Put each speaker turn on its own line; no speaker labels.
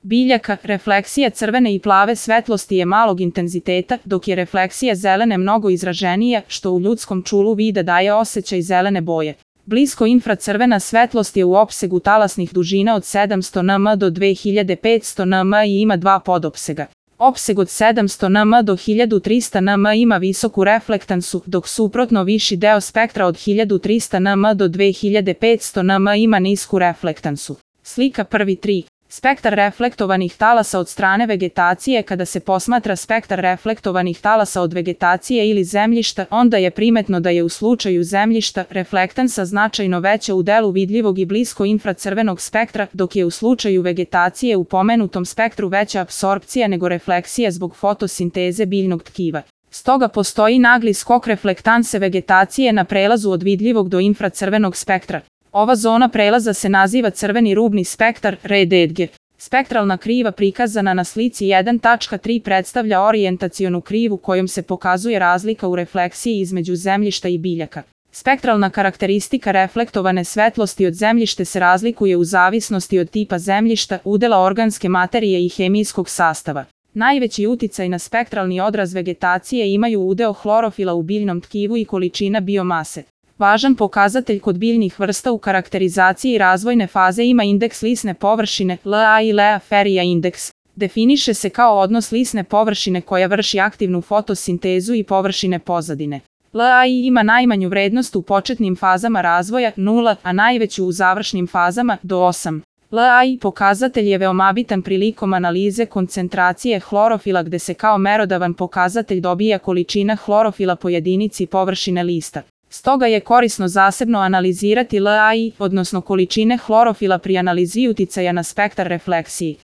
biljaka, refleksija crvene i plave svetlosti je malog intenziteta, dok je refleksija zelene mnogo izraženija, što u ljudskom čulu vida daje osjećaj zelene boje. Blisko infracrvena svetlost je u opsegu talasnih dužina od 700 nm do 2500 nm i ima dva podopsega. Opseg od 700 nm do 1300 nm ima visoku reflektansu, dok suprotno viši deo spektra od 1300 nm do 2500 nm ima nisku reflektansu. Slika 1.3. Spektar reflektovanih talasa od strane vegetacije. Kada se posmatra spektar reflektovanih talasa od vegetacije ili zemljišta, onda je primetno da je u slučaju zemljišta reflektansa značajno veća u delu vidljivog i blisko infracrvenog spektra, dok je u slučaju vegetacije u pomenutom spektru veća apsorpcija nego refleksija zbog fotosinteze biljnog tkiva. Stoga postoji nagli skok reflektanse vegetacije na prelazu od vidljivog do infracrvenog spektra. Ova zona prelaza se naziva crveni rubni spektar, RDG. Spektralna kriva prikazana na slici 1.3 predstavlja orijentacionu krivu kojom se pokazuje razlika u refleksiji između zemljišta i biljaka. Spektralna karakteristika reflektovane svetlosti od zemljište se razlikuje u zavisnosti od tipa zemljišta, udela organske materije i hemijskog sastava. Najveći uticaj na spektralni odraz vegetacije imaju udeo hlorofila u biljnom tkivu i količina biomase. Važan pokazatelj kod biljnih vrsta u karakterizaciji razvojne faze ima indeks lisne površine, LA i Lea Ferija indeks. Definiše se kao odnos lisne površine koja vrši aktivnu fotosintezu i površine pozadine. LAI ima najmanju vrednost u početnim fazama razvoja, 0, a najveću u završnim fazama, do 8. LAI pokazatelj je veoma bitan prilikom analize koncentracije hlorofila gde se kao merodavan pokazatelj dobija količina hlorofila po jedinici površine lista. Stoga je korisno zasebno analizirati LAI, odnosno količine hlorofila pri analizi uticaja na spektar refleksiji.